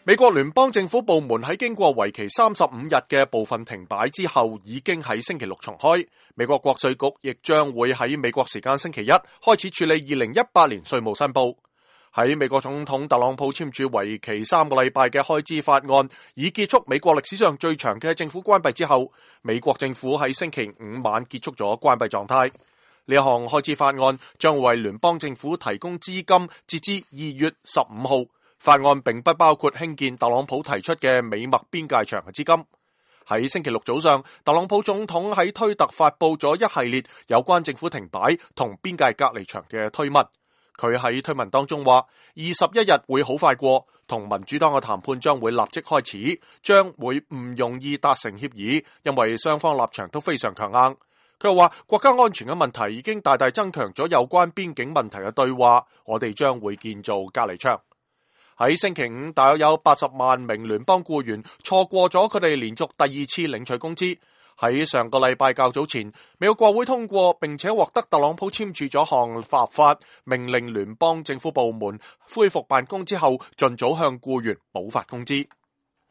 美國聯邦政府部門喺經過為期35日嘅部分停擺之後，已經喺星期六重開。美國國稅局亦將會喺美國時間星期一開始處理2018年稅務申報。喺美國總統特朗普簽署為期3個禮拜嘅開支法案，以結束美國歷史上最長嘅政府關閉之後，美國政府喺星期五晚結束咗關閉狀態。呢一項開支法案將為聯邦政府提供資金，截至2月15號。法案並不包括興建特朗普提出嘅美墨邊界牆嘅資金。喺星期六早上，特朗普總統喺推特發佈咗一系列有關政府停擺同邊界隔離牆嘅推文。佢喺推文當中話，21日會好快過，同民主黨嘅談判將會立即開始，將會唔容易達成協議，因為雙方立場都非常強硬。佢又話，國家安全嘅問題已經大大增強咗有關邊境問題嘅對話，我哋將會建造隔離牆。喺星期五，大約有80萬名聯邦僱員錯過咗佢哋連續第2次領取工資。喺上個禮拜較早前，美國國會通過並且獲得特朗普簽署咗項立法，命令聯邦政府部門恢復辦公之後，盡早向僱員補發工資。